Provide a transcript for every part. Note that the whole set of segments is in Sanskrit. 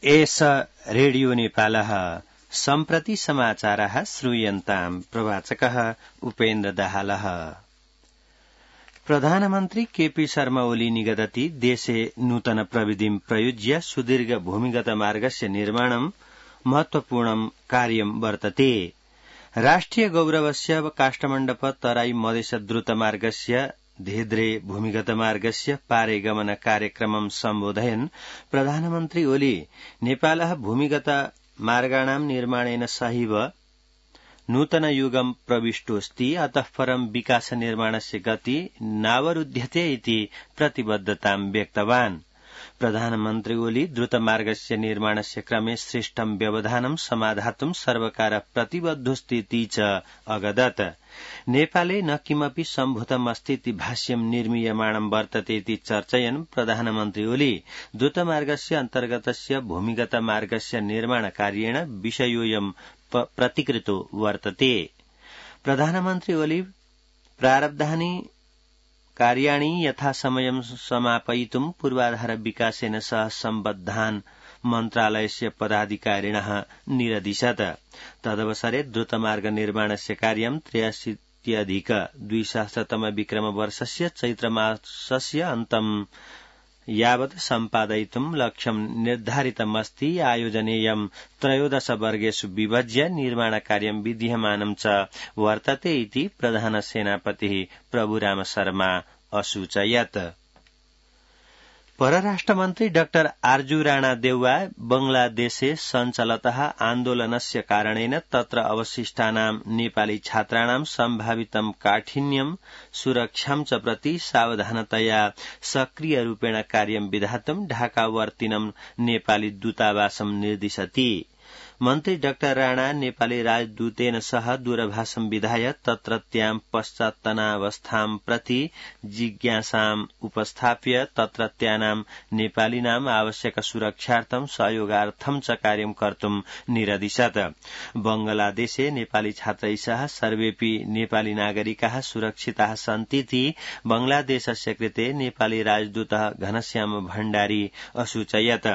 एष रेडियो नेपालः सम्प्रति समाचारः श्रूयन्ताम् प्रवाचकः उपेन्द्र दाहालः। प्रधानमन्त्री केपी शर्मा ओली निगदति देशे नूतन प्रविधिं प्रयुज्य सुदीर्घ भूमिगत मार्गस्य निर्माणं महत्वपूर्णं कार्यं वर्तते। राष्ट्रिय गौरवस्य काष्ठमण्डप तराई मधेस द्रुतमार्गस्य धेद्रे भूमिगत मार्गस्य पारे गमन कार्यक्रमं सम्बोधयन् प्रधानमन्त्री ओली नेपालः भूमिगत मार्गाणां निर्माणेन सहैव नूतन युगं प्रविष्टोऽस्ति, अतः परं विकास निर्माणस्य गति नावरुध्यते इति प्रतिबद्धतां व्यक्तवान्। प्रधानमन्त्री ओली द्रुतमार्गस्य निर्माणस्य क्रमे श्रेष्ठं व्यवधानं समाधातुं सर्वकारः प्रतिबद्धोऽस्तीति च अगदत्। नेपाले न किमपि सम्भूतमस्तीति भाष्यं निर्मीयमाणं वर्तते इति चर्चयन् प्रधानमन्त्री ओली द्रुतमार्गस्य अन्तर्गतस्य भूमिगत मार्गस्य निर्माणकार्येण विषयोऽयं प्रतिकृतो वर्तते। प्रधानमन्त्री ओली प्रारब्धानि कार्याणि यथासमयं समापयितुं पूर्वाधार विकासेन सह सम्बद्धान् मन्त्रालयस्य पदाधिकारिणः निरदिशत्। तदवसरे द्रुतमार्ग निर्माणस्य कार्यं 83अधिक-2000 विक्रमवर्षस्य चैत्रमासस्य अन्तं यावत् सम्पादयितुं लक्ष्यं निर्धारितमस्ति। आयोजनेयं 13 वर्गेषु विभज्य निर्माणकार्यं विद्यमानं च वर्तते इति प्रधान सेनापतिः प्रभुराम शर्मा असूचयत्। परराष्ट्रमन्त्री डाक्टर आर्जू राणा देउवा बंगलादेशे सञ्चलतः आन्दोलनस्य कारणेन तत्र अवशिष्टानां नेपाली छात्राणां सम्भावितं काठिन्यं सुरक्षां च प्रति सावधानतया सक्रियरूपेण कार्यं विधातुं ढाकावर्तिनं नेपाली दूतावासं निर्दिशति। मन्त्री डाक्टर राणा नेपाली राजदूतेन सह दूरभाषं विधाय तत्रत्यां पश्चात्तनावस्थां प्रति जिज्ञासाम् उपस्थाप्य तत्रत्यानां नेपालीनाम् आवश्यक सुरक्षार्थं सहयोगार्थं च कार्यं कर्तुं निरदिशत्। बंगलादेशे नेपाली छात्रैः सह सर्वेऽपि नेपाली नागरिकाः सुरक्षिताः सन्तीति बंगलादेशस्य कृते नेपाली राजदूतः घनश्याम भण्डारी असूचयत्।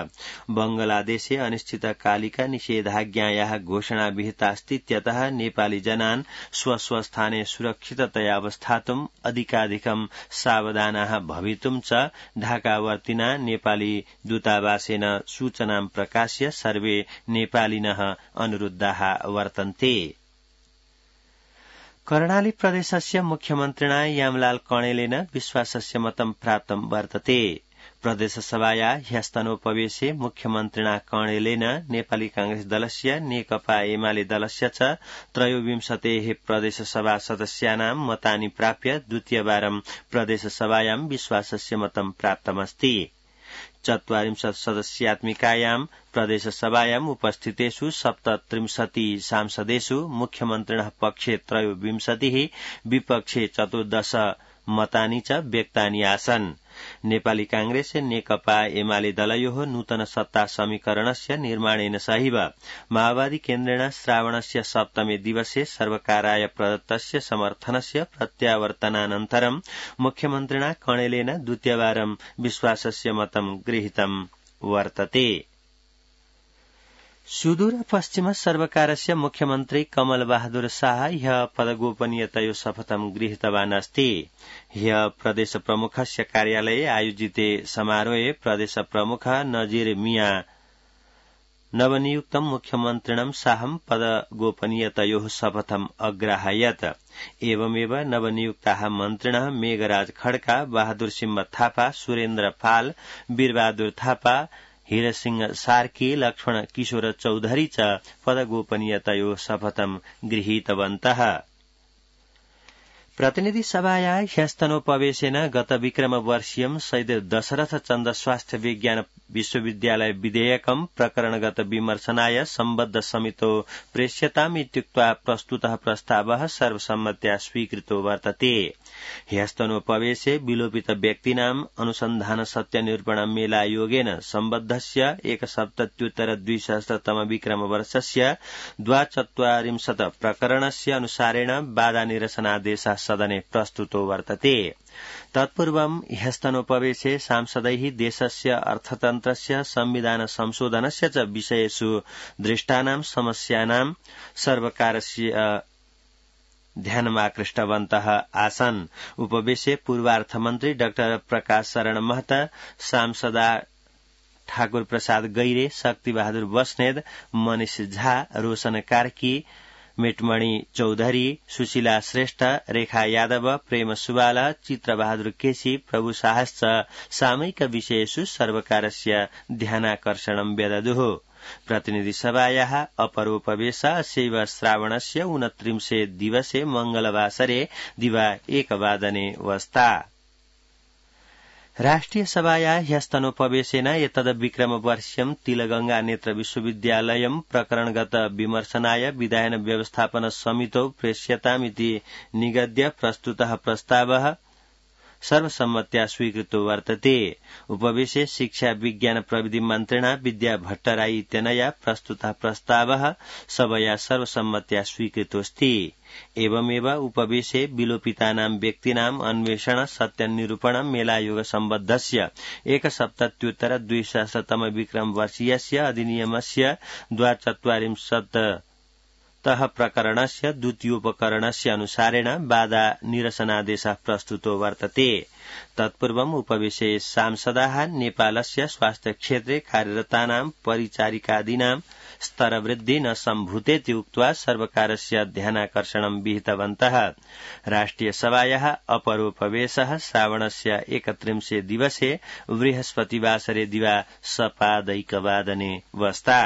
बंगलादेशे अनिश्चितकालिका निषेधाज्ञायाः घोषणा विहितास्तीत्यतः नेपाली जनान् स्वस्वस्थाने सुरक्षिततया अवस्थातुं अधिकाधिकं सावधानाः भवितुं च ढाकावर्तिना नेपाली दूतावासेन सूचनां प्रकाश्य सर्वे नेपालिनः अनुरुद्धाः वर्तन्ते। कर्णाली प्रदेशस्य मुख्यमन्त्रिणा यामलाल कणेलेन विश्वासस्य मतं प्राप्तं वर्तते। प्रदेशसभाया ह्यस्तनोपवेशे मुख्यमन्त्रिणा कणेलेन नेपाली कांग्रेस दलस्य नेकपा एमाले दलस्य च 23 प्रदेशसभा सदस्यानां मतानि प्राप्य द्वितीयवारं प्रदेशसभायां विश्वासस्य मतं प्राप्तमस्ति। 40 सदस्यात्मिकायां प्रदेशसभायाम् उपस्थितेषु 37 सांसदेषु मुख्यमन्त्रिणः पक्षे 23, विपक्षे 14 मतानि च व्यक्तानि आसन्। नेपाली कांग्रेस नेकपा एमाले दलयोः नूतन सत्ता समीकरणस्य निर्माणेन सहैव माओवादी केन्द्रेण श्रावणस्य 7मे दिवसे सर्वकाराय प्रदत्तस्य समर्थनस्य प्रत्यावर्तनानन्तरं मुख्यमन्त्रिणा कणेलेन द्वितीयवारं विश्वासस्य मतं गृहीतं वर्तते। सुदूर पश्चिम सर्वकारस्य मुख्यमन्त्री कमल बहादुर शाह ह्यः पदगोपनीयतयो शपथं गृहीतवान् अस्ति। ह्यः प्रदेश प्रमुखस्य कार्यालये आयोजिते समारोहे प्रदेश प्रमुख नजीर मिया नवनियुक्तं मुख्यमन्त्रिणं शाहं पदगोपनीयतयोः शपथम् अग्राहयत्। एवमेव नवनियुक्ताः मन्त्रिणः मेघराज खड्का, बहादुर सिंह थापा, सुरेन्द्र पाल, वीरबहादुर थापा, हीरसिंह सार्की, लक्ष्मण किशोर चौधरी च पदगोपनीयतयोः शपथं गृहीतवन्तः। प्रतिनिधि सभाया ह्यस्तनोपवेशेन गत विक्रमवर्षीयं शहीद दशरथ चन्द्र स्वास्थ्य विज्ञान विश्वविद्यालय विधेयकं प्रकरणगत विमर्शनाय सम्बद्ध समितो प्रेष्यताम् इत्युक्त्वा प्रस्तुतः प्रस्तावः सर्वसम्मत्या स्वीकृतो वर्तते। ह्यस्तनोपवेशे विलोपित व्यक्तीनाम् अनुसन्धान सत्यनिरूपण मेलायोगेन सम्बद्धस्य 1/7/2000 विक्रमवर्षस्य 42 प्रकरणस्य अनुसारेण बाधा निरसनादेशः सदने प्रस्तुतो वर्तते। तत्पूर्वं ह्यस्तनोपवेशे सांसदैः देशस्य अर्थतन्त्रस्य संविधान संशोधनस्य च विषयेषु दृष्टानां समस्यानां सर्वकारस्य ध्यानमाकृष्टवन्तः आसन्। उपवेशे पूर्वार्थमन्त्री डाक्टर प्रकाश शरण महता, सांसदा ठाकुर प्रसाद गैरे, शक्ति बहादुर बस्नेत, मनिष झा, रोशन कार्की, मेटमणि चौधरी, सुशीला श्रेष्ठ, रेखा यादव, प्रेम सुवाला, चित्र बहादुर केसी, प्रभु साहस च सामयिक विषयेषु सर्वकारस्य ध्यानाकर्षणं व्यददुः। प्रतिनिधि सभायाः अपरोपवेशस्यैव श्रावणस्य 29 दिवसे मंगलवासरे दिवा 1 वादने वस्ता। राष्ट्रिय सभाया ह्यस्तनोपवेशेन एतद्विक्रमवर्ष्यं तिलगंगा नेत्र विश्वविद्यालयं प्रकरणगत विमर्शनाय विधायन व्यवस्थापन समितौ प्रेष्यतामिति निगद्य प्रस्तुतः प्रस्तावः सर्वसम्मत्या स्वीकृतो वर्तते। उपवेशे शिक्षा विज्ञान प्रविधि मन्त्रिणा विद्या भट्टराई इत्यनया प्रस्तुतः प्रस्तावः सभया सर्वसम्मत्या स्वीकृतोऽस्ति। एवमेव उपवेशे विलोपितानां व्यक्तीनाम् अन्वेषण सत्यनिरूपण मेलायोग सम्बद्धस्य 1 द्विसहस्रतम विक्रमवर्षीयस्य अधिनियमस्य 42 प्रकरणस्य द्वितीयोपकरणस्य अनुसारेण बाधा निरसनादेशः प्रस्तुतो वर्तते। तत्पूर्वम् उपवेशे सांसदाः नेपालस्य स्वास्थ्य क्षेत्रे कार्यरतानां परिचारिकादीनां स्तरवृद्धि न सम्भूतेति उक्त्वा सर्वकारस्य ध्यानाकर्षणं विहितवन्तः। राष्ट्रिय सभायाः अपरोपवेशः श्रावणस्य 31 दिवसे बृहस्पतिवासरे दिवा सपादैकवादने वस्ता।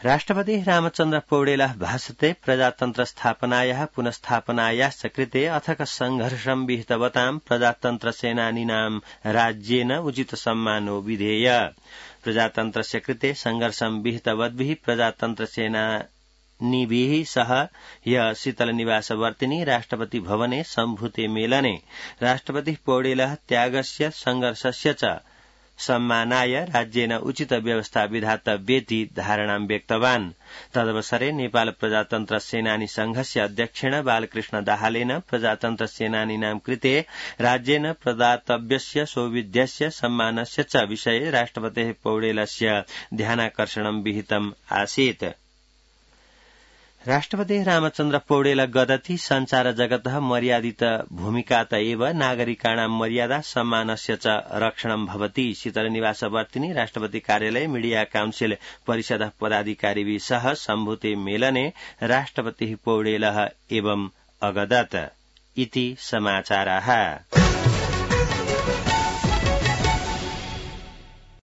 राष्ट्रपति रामचन्द्र पौडेलः भाषते प्रजातन्त्र स्थापनायाः पुनस्थापनायाश्च कृते अथक संघर्षं विहितवतां प्रजातन्त्र सेनानीनां राज्येन उचित सम्मानो विधेय। प्रजातन्त्रस्य कृते संघर्षं विहितवद्भिः प्रजातन्त्र सेनानीभिः सह ह्यः शीतलनिवासवर्तिनि राष्ट्रपति भवने सम्भूते मेलने राष्ट्रपतिः पौडेलः त्यागस्य संघर्षस्य च सम्मानाय राज्येन उचित व्यवस्था विधातव्येति धारणां व्यक्तवान्। तदवसरे नेपाल प्रजातन्त्र सेनानी संघस्य अध्यक्षेण बालकृष्ण दाहालेन प्रजातन्त्र सेनानीनां कृते राज्येन प्रदातव्यस्य सौविध्यस्य सम्मानस्य च विषये राष्ट्रपतेः पौडेलस्य ध्यानाकर्षणं विहितम् आसीत्। राष्ट्रपति रामचन्द्र पौडेल गदति संचार जगतः मर्यादित भूमिकात एव नागरिकाणां मर्यादा सम्मानस्य च रक्षणं भवति। शीतलनिवासवर्तिनि राष्ट्रपति कार्यालय मीडिया काउन्सिल परिषदः पदाधिकारिभिः सह सम्भूते मेलने राष्ट्रपतिः पौडेलः एवं अगदत् इति समाचाराः।